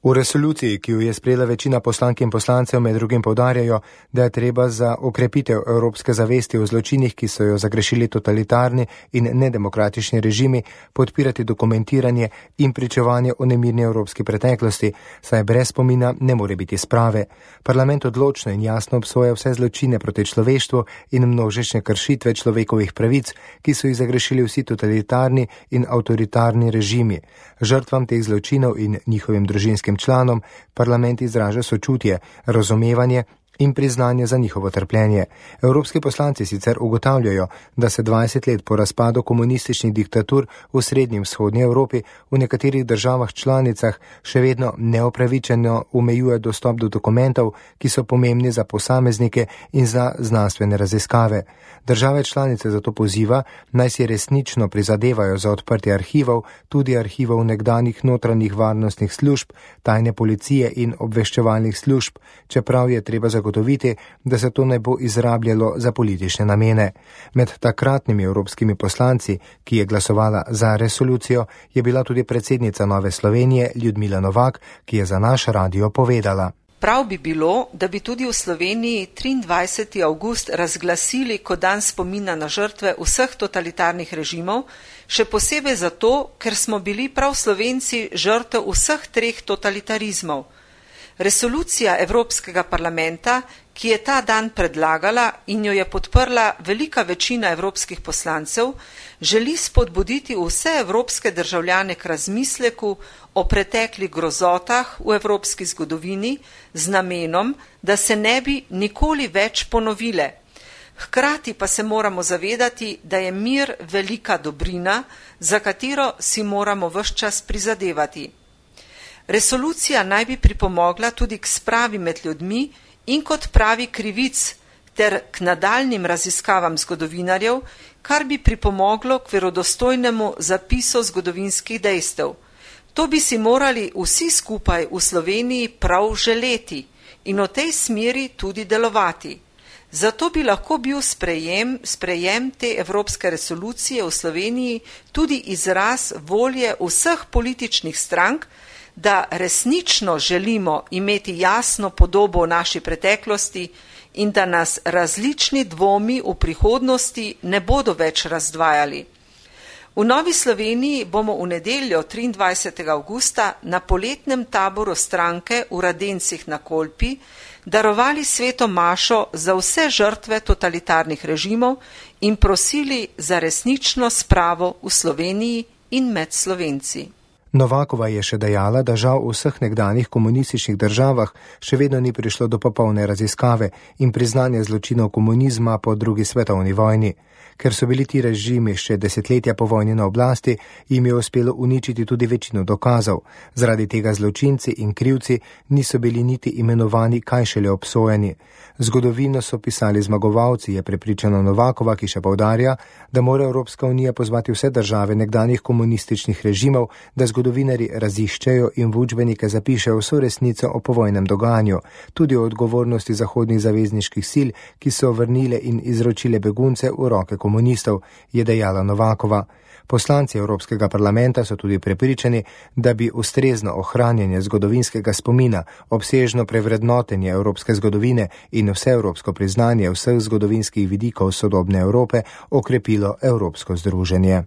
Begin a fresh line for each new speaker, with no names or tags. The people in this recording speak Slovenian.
V resoluciji, ki jo je sprejela večina poslank in poslancev, med drugim poudarjajo, da je treba za okrepitev evropske zavesti o zločinih, ki so jo zagrešili totalitarni in nedemokratični režimi, podpirati dokumentiranje in pričevanje o nemirni evropski preteklosti, saj brez spomina ne more biti sprave. Parlament odločno in jasno obsoja vse zločine proti človeštvu in množične kršitve človekovih pravic, ki so jih zagrešili vsi totalitarni in avtoritarni režimi. Žrtvam teh zločinov in njihovim družinskim članom parlament izraža sočutje, razumevanje in priznanje za njihovo trpljenje. Evropski poslanci sicer ugotavljajo, da se 20 let po razpadu komunističnih diktatur v srednji in vzhodnji Evropi v nekaterih državah članicah še vedno neopravičeno omejuje dostop do dokumentov, ki so pomembni za posameznike in za znanstvene raziskave. Države članice zato poziva, naj si resnično prizadevajo za odprtje arhivov, tudi arhivov nekdanjih notranjih varnostnih služb, tajne policije in obveščevalnih služb, čeprav je treba zagotoviti, da se to ne bo izrabljalo za politične namene. Med takratnimi evropskimi poslanci, ki je glasovala za resolucijo, je bila tudi predsednica Nove Slovenije Ljudmila Novak, ki je za naš radio povedala.
Prav bi bilo, da bi tudi v Sloveniji 23. avgust razglasili kot dan spomina na žrtve vseh totalitarnih režimov, še posebej zato, ker smo bili prav Slovenci žrtev vseh treh totalitarizmov. Resolucija Evropskega parlamenta, ki je ta dan predlagala in jo je podprla velika večina evropskih poslancev, želi spodbuditi vse evropske državljane k razmisleku o preteklih grozotah v evropski zgodovini z namenom, da se ne bi nikoli več ponovile. Hkrati pa se moramo zavedati, da je mir velika dobrina, za katero si moramo ves čas prizadevati. Resolucija naj bi pripomogla tudi k spravi med ljudmi in kot pravi krivic ter k nadaljnim raziskavam zgodovinarjev, kar bi pripomoglo k verodostojnemu zapisu zgodovinskih dejstev. To bi si morali vsi skupaj v Sloveniji prav želeti in v tej smeri tudi delovati. Zato bi lahko bil sprejem te evropske resolucije v Sloveniji tudi izraz volje vseh političnih strank, da resnično želimo imeti jasno podobo o naši preteklosti in da nas različni dvomi v prihodnosti ne bodo več razdvajali. V Novi Sloveniji bomo v nedeljo 23. avgusta na poletnem taboru stranke v Radencih na Kolpi darovali sveto mašo za vse žrtve totalitarnih režimov in prosili za resnično spravo v Sloveniji in med Slovenci.
Novakova je še dejala, da žal v vseh nekdanjih komunističnih državah še vedno ni prišlo do popolne raziskave in priznanja zločinov komunizma po drugi svetovni vojni. Ker so bili ti režimi še desetletja po vojni na oblasti, jim je uspelo uničiti tudi večino dokazov. Zaradi tega zločinci in krivci niso bili niti imenovani, kaj šele obsojeni. Zgodovino so pisali zmagovalci, je prepričana Novakova, ki še poudarja, da mora Evropska unija pozvati vse države nekdanjih komunističnih režimov, da zgodovinarji raziščejo in v učbenike zapišejo vso resnico o povojnem dogajanju, tudi o odgovornosti zahodnih zavezniških sil, ki so vrnile in izročile begunce v roke komunistov, je dejala Novakova. Poslanci Evropskega parlamenta so tudi prepričani, da bi ustrezno ohranjanje zgodovinskega spomina, obsežno prevrednotenje evropske zgodovine in vseevropsko priznanje vseh zgodovinskih vidikov sodobne Evrope okrepilo evropsko združenje.